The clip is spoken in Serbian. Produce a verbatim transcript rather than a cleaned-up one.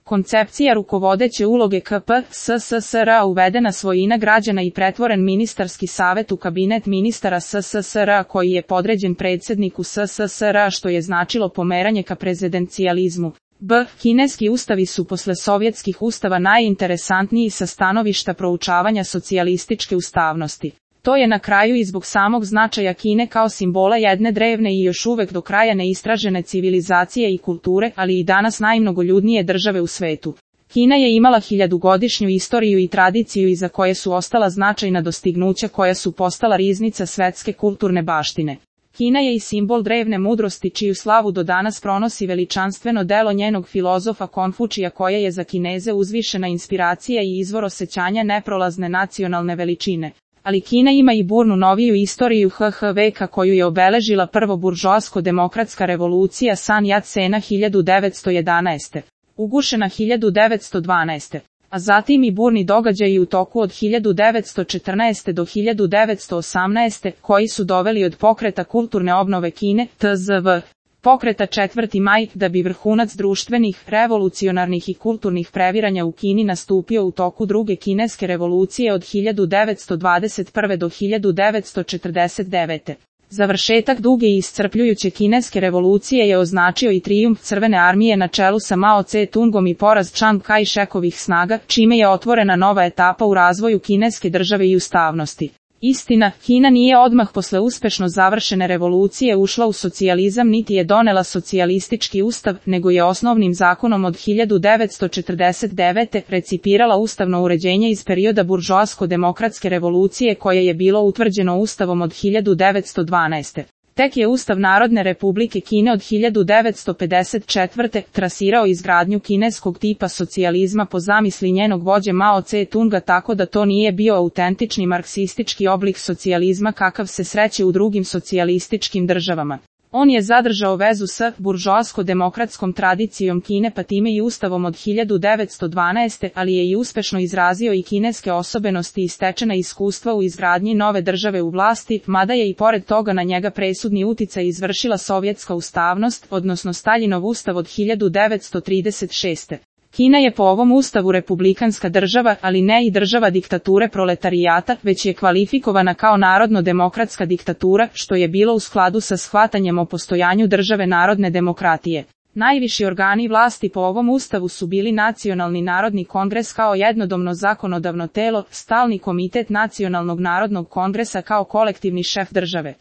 Koncepcija rukovodeće uloge K P S S S R uvedena svojina građana i pretvoren ministarski savet u kabinet ministara S S S R koji je podređen predsjedniku S S S R što je značilo pomeranje ka prezidencijalizmu. B. Kineski ustavi su posle sovjetskih ustava najinteresantniji sa stanovišta proučavanja socijalističke ustavnosti. To je na kraju i zbog samog značaja Kine kao simbola jedne drevne i još uvek do kraja neistražene civilizacije i kulture, ali i danas najmnogoljudnije države u svetu. Kina je imala hiljadugodišnju istoriju i tradiciju iza koje su ostala značajna dostignuća koja su postala riznica svetske kulturne baštine. Kina je i simbol drevne mudrosti čiju slavu do danas pronosi veličanstveno delo njenog filozofa Konfučija koje je za Kineze uzvišena inspiracija i izvor osjećanja neprolazne nacionalne veličine. Ali Kina ima i burnu noviju istoriju H H veka koju je obeležila prvo buržoasko-demokratska revolucija San Yat-sena hiljadu devetsto jedanaeste. Ugušena hiljadu devetsto dvanaeste. A zatim i burni događaji u toku od hiljadu devetsto četrnaeste do hiljadu devetsto osamnaeste koji su doveli od pokreta kulturne obnove Kine, T Z V. Pokreta četvrti maj, da bi vrhunac društvenih, revolucionarnih i kulturnih previranja u Kini nastupio u toku druge kineske revolucije od hiljadu devetsto dvadeset prve do hiljadu devetsto četrdeset devete. Završetak duge i iscrpljujuće kineske revolucije je označio i trijumf Crvene armije na čelu sa Mao Tse-tungom i poraz Chiang Kai-shekovih snaga, čime je otvorena nova etapa u razvoju kineske države i ustavnosti. Istina, Kina nije odmah posle uspešno završene revolucije ušla u socijalizam niti je donela socijalistički ustav, nego je osnovnim zakonom od hiljadu devetsto četrdeset devete recipirala ustavno uređenje iz perioda buržoasko-demokratske revolucije koje je bilo utvrđeno ustavom od hiljadu devetsto dvanaeste. Tek je Ustav Narodne Republike Kine od hiljadu devetsto pedeset četvrte trasirao izgradnju kineskog tipa socijalizma po zamisli njenog vođe Mao Tse-tunga tako da to nije bio autentični marksistički oblik socijalizma kakav se sreće u drugim socijalističkim državama. On je zadržao vezu s buržoasko-demokratskom tradicijom Kine pa time i ustavom od hiljadu devetsto dvanaeste, ali je i uspešno izrazio i kineske osobenosti i stečena iskustva u izgradnji nove države u vlasti, mada je i pored toga na njega presudni uticaj izvršila sovjetska ustavnost, odnosno Staljinov ustav od hiljadu devetsto trideset šeste. Kina je po ovom ustavu republikanska država, ali ne i država diktature proletarijata, već je kvalifikovana kao narodno-demokratska diktatura, što je bilo u skladu sa shvatanjem o postojanju države narodne demokratije. Najviši organi vlasti po ovom ustavu su bili Nacionalni narodni kongres kao jednodomno zakonodavno telo, Stalni komitet Nacionalnog narodnog kongresa kao kolektivni šef države.